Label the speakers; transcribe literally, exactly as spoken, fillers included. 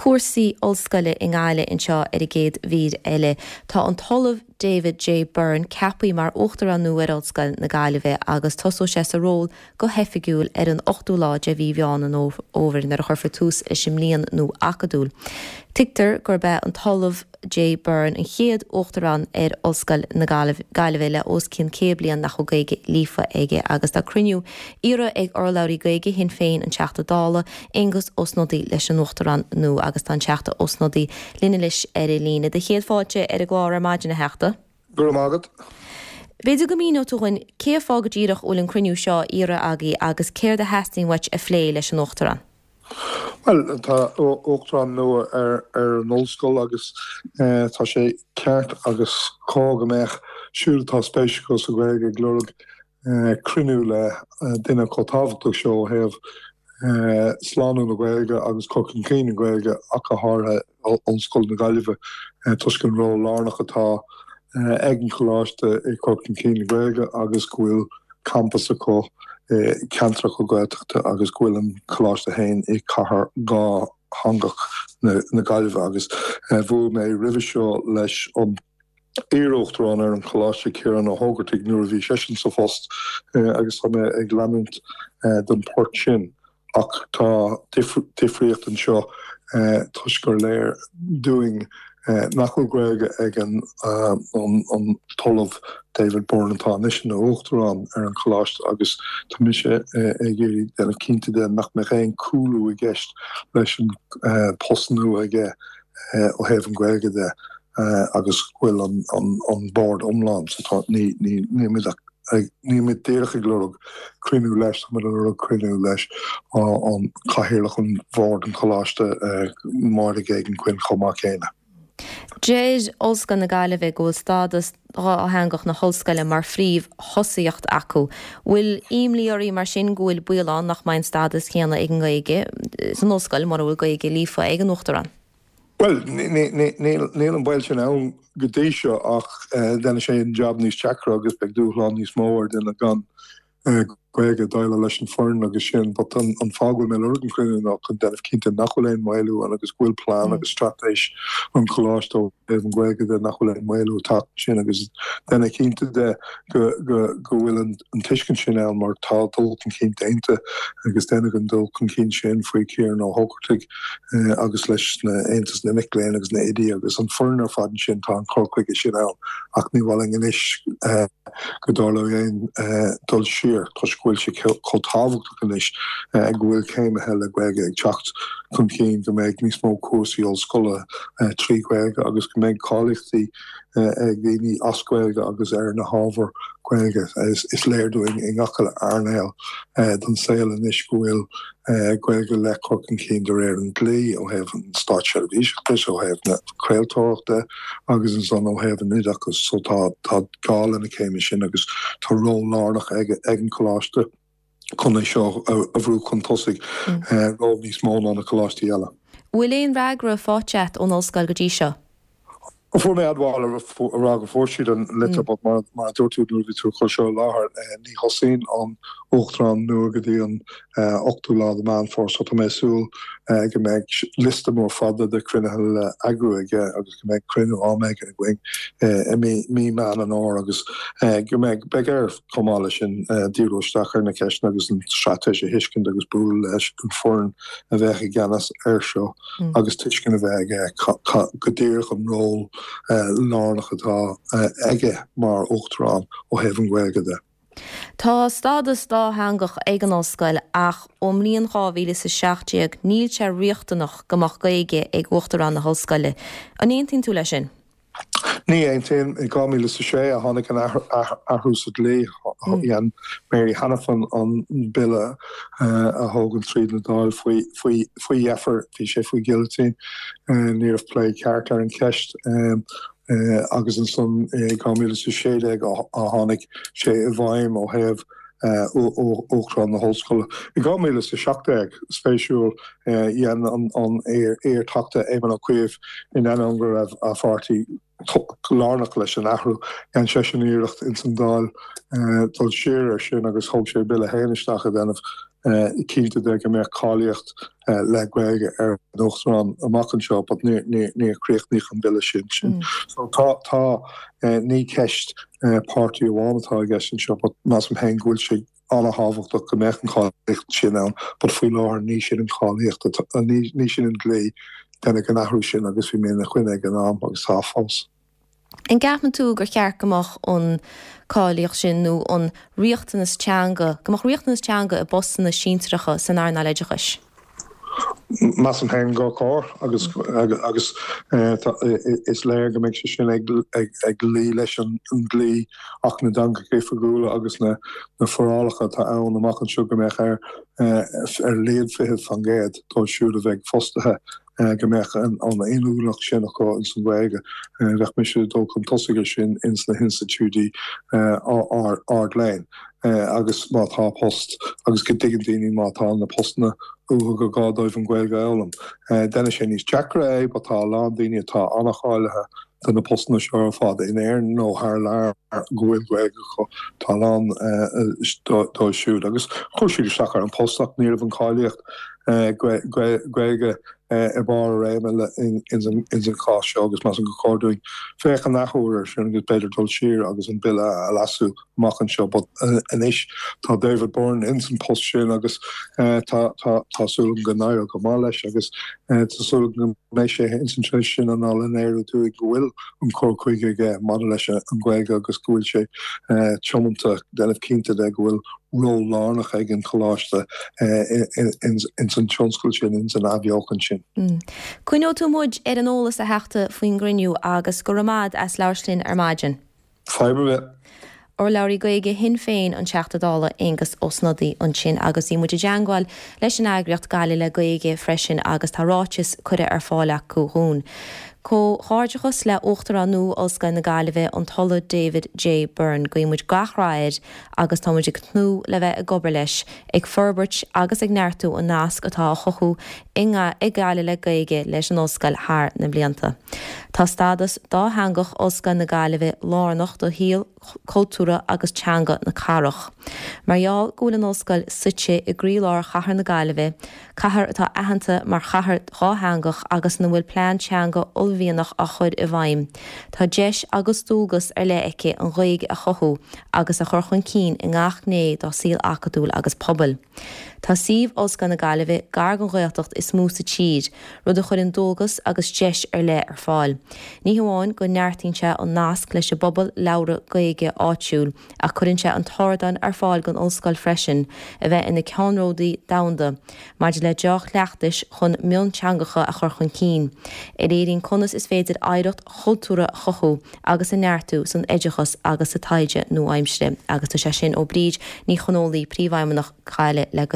Speaker 1: Cúrsaí ollscoile i nGaillimh anseo ar an gcéad mhír eile. Tá an tOllamh David J. Byrne ceaptha mar uachtarán nua ar Ollscoil na Gaillimhe agus tosóidh sé sa ról go hoifigiúil ar an ochtú lá de mhí Mheán an Fhómhair nuair a chuirfear tús leis an mbliain nua acadúil. Tuigtear gurb é an tOllamh J. Byrne an chéad uachtarán ar Ollscoil na Gaillimhe le os cionn céad bliain nach bhfuil Gaeilge líofa aige agus tá cruinniú iarrtha ag urlabhraí Gaeilge Shinn Féin an Teachta Dála Aengus Ó Snodaigh leis an uachtarán nua agus tá an Teachta Ó Snodaigh linn anois ar an líne. Do chéad fáilte ar an gclár ar maidin a Theachta.
Speaker 2: Go raibh maith agat.
Speaker 1: B'fhéidir go míneodh tú dhúinn cén fáth go díreach bhfuil an cruinniú seo iarrtha agaibh agus céard a theastaíonn uait a phlé leis an uachtarán.
Speaker 2: Well tá uachtarán nua ar ar an ollscoil agus eh, tá sé ceart agus cóir go mbeadh siúd atá spéis acu sa Ghaeilge ag lorg eh, cruinniú le eh, duine chomh tábhachtach seo ó thaobh eh, slánú na Gaeilge agus cur chun cinn na Gaeilge ach go háirithe Ollscoil na Gaillimhe eh, toisc an ról lárnach atá eh, ag an choláiste i cur chun cinn na Gaeilge agus go bhfuil campas acu eh, ceantracha Gaeltachta agus go bhfuil an choláiste féin i cathair dhátheangach na, na Gaillimhe agus eh, bhuail mé roimhe seo leis an iar-uachtarán ar an choláiste Ciarán Ó hÓgartaigh nuair a bhí seisean sa phost eh, agus tá mé ag leanúint eh, den port sin ach tá difríocht anseo eh, toisc gur léir dúinn eh, nach bhfuil Gaeilge ag an, uh, an, an tOllamh David Byrne atá anois ina uachtarán ar an choláiste agus tá mise eh, ag iarraidh déanamh cinnte de nach mbeidh aon cúlú i gceist leis an uh, post nua aige uh, ó thaobh an Ghaeilge de uh, agus bhfuil an, an, an bord iomlán so tá ní ní ní ní mé díreach ag lorg cruinniú leis tá lorg cruinniú leis an cathaoirleach an bhord an choláiste Máire Geoghegan-Quinn chomh maith céanna.
Speaker 1: Deir Ollscoil na Gaillimhe go bhfuil stádas dátheangach na hollscoile mar phríomhthosaíocht acu. Bhfuil imní oraibh mar sin go bhfuil baol ann nach mbeidh an stádas céanna ag an nGaeilge san ollscoil mura bhfuil Gaeilge líofa ag an uachtarán.
Speaker 2: Well níl an baol sin ann go dtí seo ach déanann sé an job níos deacra agus beidh dúshlán níos mó ar duine gan Gaeilge déileáil leis an foireann agus sin, but an, an fáth go bhfuil mé lorg an chruinniú ná chun déanamh cinnte nach bhfuil aon mhaolú ann agus go bhfuil plean agus straitéis an choláiste ó thaobh an Ghaeilge de nach bhfuil aon mhaolú ag teacht sin agus déanamh cinnte de go, go, go bhfuil an, an tuiscint sin ann mar tá dul chun cinn déanta agus déanadh an dul chun cinn sin faoi Ciarán Ó hÓgartaigh eh, agus leis na Aontas na Mic Léinn agus na hoidí agus an foireann ar fad sin tá an cur chuige sin ann ach ní bhfuil anois eh, go dtarlódh aon eh, dul siar toisc go bhfuil sé chomh tábhachtach anois eh, go bhfuil céimithe le Gaeilge ag teacht chun cinn go mbeidh níos mó cúrsaí ollscoile eh, trí Ghaeilge agus go mbeidh cáilíochtaí eh, ag daoine as Gaeilge agus ar na hábhair Gaeilge is, is léir dúinn i ngach earnáil den saol anois go bhfuil Gaeilge le cur chun cinn de réir an dlí ó thaobh an státseirbhíseachais ó thaobh na craoltóireachta agus ansan ó thaobh an oideachais so tá tá gá le na céimithe sin agus tá ról lárnach ag ag an choláiste chun é seo a bhrú chun tosaigh ról níos mó ná na coláistí eile.
Speaker 1: Bhfuil aon fhreagra faighte agat ón ollscoil go dtí seo?
Speaker 2: Fuair mé admháil a rá go bhfuair siad an litir mar mar dúirt tú nuair bhí tú chun seo láthair ní thosaíonn an uachtarán nua go dtí an ochtú lá de Mheán Fómhair so tá mé súil go mbeidh liosta mór fada de chruinnithe le eagrú aige agus go mbeidh cruinniú am éigin againn i mí mí Meán an Fhómhair agus go mbeidh beidh air chomh maith leis sin díriú isteach ar na ceisteanna agus an straitéis a thuiscint agus bualadh leis an foireann a bheith i gceannas air seo agus tuiscint a bheith aige go díreach an ról lárnach atá aige mar uachtarán ó thaobh an Ghaeilge de.
Speaker 1: Tá stádas dátheangach ag an ollscoil ach ón mbliain dhá mhíle is a seacht déag níl sé riachtanach go mbeadh Gaeilge ag uachtarán na hollscoile. An aontaíonn tú leis sin?
Speaker 2: Ní aontaím i dhá mhíle is a sé a tháinig an athrú sa dlí dhein Mary Hanafin an bille a thógann tríd na Dáil faoi faoi faoi dheifir bhí sé faoi guillotine ní raibh plé ceart ar an cheist agus ansan i dhá mhíle is a sé déag a tháinig sé i bhfeidhm ó thaobh uachtarán na hollscoile. I dhá mhíle is a seacht déag spéisiúil dhein an an iar-Teachta Éamon Ó Cuív in ainneoin go raibh a pháirtí lárnach leis an athrú dhein seisean iarracht ins an Dáil dul siar ar sin agus thóg sé bille féin isteach a dhéanamh cinnte de go mbeadh cáilíocht le Gaeilge ar an Uachtarán amach anseo, but níor críochnaíodh an bille sin sin. So tá tá ní ceist páirtí amháin atá i gceist anseo, but measaim féin go bhfuil sé an-thábhachtach go mbeadh an cháilíocht sin ann, but faoi láthair ní sin an cháilíocht ní sin an dlí deineadh an athrú sin agus bhí mé ina choinne ag an am agus tá fós.
Speaker 1: An gceapann tú gur cheart go mbeadh an cáilíocht sin nó an riachtanas teanga, go mbeadh riachtanas teanga i bpostanna sinsearacha san earnáil oideachais?
Speaker 2: Measaim féin gur chóir agus agus is léir go mbeidh sé sin ag ag luí leis an dlí Acht na dTeangacha Oifigiúla agus na na forálacha atá ann amach anseo go mbeadh ar ar a laghad fiche faoin gcéad dóibh siúd a bheidh fostaithe go mbeadh an inniúlacht sin acu ins an Ghaeilge. Bheadh mise ag dul chun tosaigh air sin ins na hinstitiúidí ardléinn agus má tá post agus go dtuigeann daoine má tá na postanna uathu gur gá dóibh an Ghaeilge a fhoghlaim. Déanann sé níos deacra é, but tá a lán daoine atá an-cháilithe do na postanna seo ar fad in Éirinn nó thar lear go bhfuil Gaeilge acu. Tá a lán dóibh siúd agus chuir siad isteach ar an post ach ní raibh an cáilíocht Gaeilge i mbarr a réime ins an chás seo agus measaim gur chóir dúinn féachaint athuair air sin agus b'fhéidir dul siar agus an bille a leasú amach anseo. But anois tá David Byrne ins an post sin agus tá tá súil agam go n-éireoidh go maith leis agus tá súil agam go mbeidh sé ins an tréimhse sin in ann a léiriú dúinn go bhfuil an cur chuige aige maidir leis an Ghaeilge agus go bhfuil sé tiomanta déanamh cinnte de go bhfuil ról lárnach ag an choláiste ins an tionscal sin, ins an athbheochan sin.
Speaker 1: Coinneoidh tú muid ar an eolas a Theachta faoin gcruinniú agus go raibh maith as labhairt linn ar maidin.
Speaker 2: Fadhb ar bith.
Speaker 1: Urlabhraí Gaeilge Shinn Féin an Teachta Dála Aengus Ó Snodaigh ansin agus bhí muid i dteangmháil leis an eagraíocht Gaillimh le Gaeilge freisin agus tá ráiteas curtha ar fáil acu dhúinn. Comhghairdeachas le Uachtarán nua Ollscoil na Gaillimhe, an tOllamh David J Byrne. Guíonn muid gach rath air agus tá muid ag tnúth le bheith ag obair leis, ag forbairt agus ag neartú an nasc atá á chothú ag Gaillimh le Gaeilge leis an Ollscoil thar na blianta. Tá stádas dátheangach Ollscoil na Gaillimhe lárnach do shaol cultúrtha agus teanga na cathrach. Mar gheall go bhfuil an Ollscoil suite i gcroílár chathair na Gaillimhe, cathair atá aitheanta mar chathair dhátheangach agus ina bhfuil plean teanga uaillmhianach á chur i bhfeidhm, tá deis agus dualgas ar leith aici an Ghaeilge a chothú agus a chur chun cinn i ngach gné dá saol acadúil agus pobail. Tá suíomh Ollscoil na Gaillimhe gar don Ghaeltacht is mó sa tír, rud a chuireann dualgas agus deis ar leith ar fáil. Ní hamháin go neartaíonn sé an nasc leis an bpobal labhartha Gaeilge áitiúil, ach cuireann sé an t-ardán ar fáil don Ollscoil freisin a bheith ina ceannródaí domhanda maidir le deá-chleachtais chun mionteangacha a chur chun cinn, a léiríonn conas is féidir oidhreacht chultúrtha a chothú agus a neartú san oideachas agus sa taighde nua-aimseartha. Agus tá sé sin ó Bríd Ní Chonghóile, Príomhfheidhmeannach Gaillimh le Gaeilge.